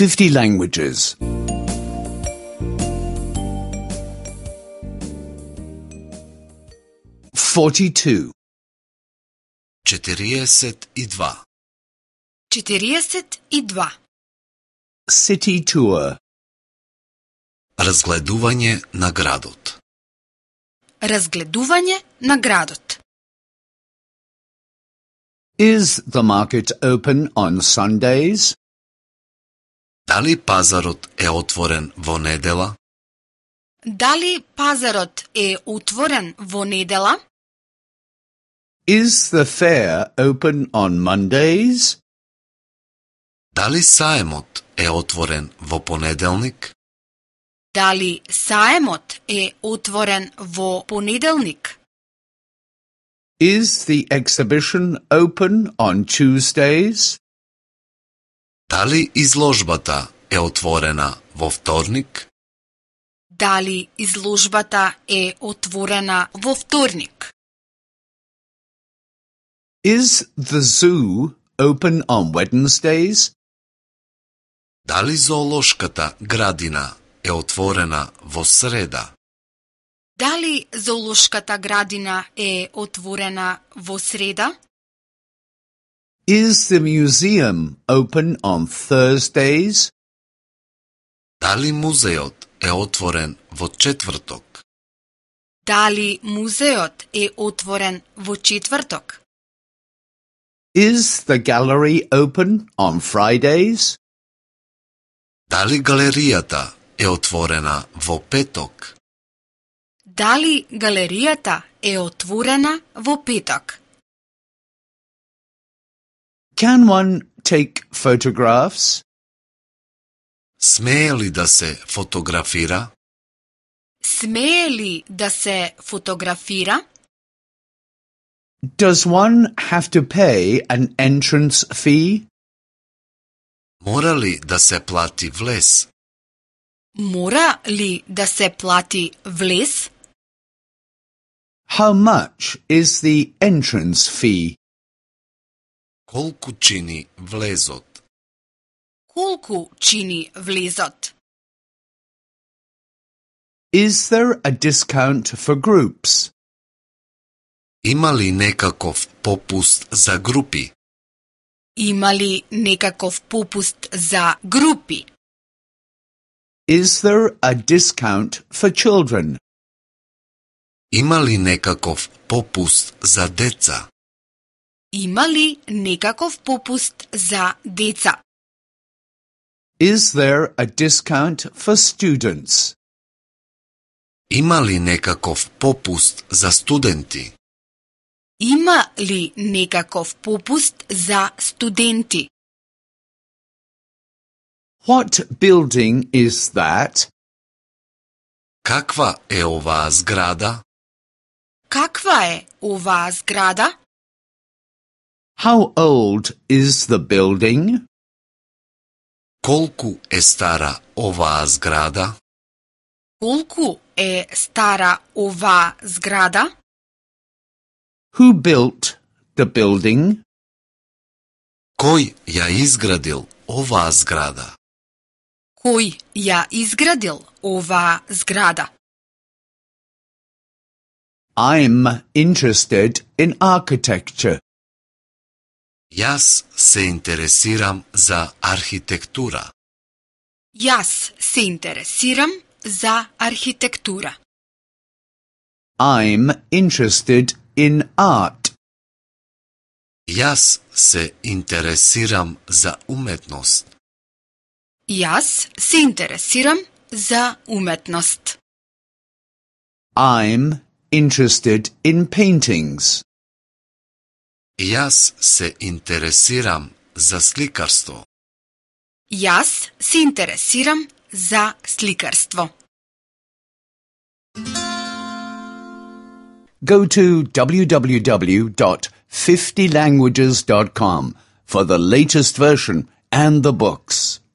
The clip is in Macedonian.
50 languages. 42. 42. 42. City tour. Разгледување на градот. Разгледување на градот. Is the market open on Sundays? Дали пазарот е отворен во недела? Дали пазарот е отворен во недела? Is the fair open on Mondays? Дали саемот е отворен во понеделник? Дали саемот е отворен во понеделник? Is the exhibition open on Tuesdays? Дали изложбата е отворена во вторник? Дали изложбата е отворена во вторник? Is the zoo open on Wednesdays? Дали зоолошката градина е отворена во среда? Дали зоолошката градина е отворена во среда? Is the museum open on Thursdays? Дали музеот е отворен во четврток? Дали музеот е отворен во четврток? Is the gallery open on Fridays? Дали галеријата е отворена во петок? Дали галеријата е отворена во петок? Can one take photographs? Смее ли да се фотографира? Смее ли да се фотографира? Does one have to pay an entrance fee? Мора ли да се плати влез? Мора ли да се плати влез? How much is the entrance fee? Колку чини влезот? Колку чини влезот? Is there a discount for groups? Има ли некаков попуст за групи? Има ли некаков попуст за групи? Is there a discount for children? Има ли некаков попуст за деца? Има ли некаков попуст за деца? Is there a discount for students? Има ли некаков попуст за студенти? Има ли некаков попуст за студенти? What building is that? Каква е оваа зграда? Каква е оваа зграда? How old is the building? Колку е стара оваа зграда? Колку е стара оваа зграда? Who built the building? Кој ја изградил оваа зграда? Кој ја изградил оваа зграда? I'm interested in architecture. Јас се интересирам за архитектура. Јас се интересирам за архитектура. I'm interested in art. Јас се интересирам за уметност. Јас се интересирам за уметност. I'm interested in paintings. Јас се интересирам за сликарство. Јас се интересирам за сликарство. Go to www.50languages.com for the latest version and the books.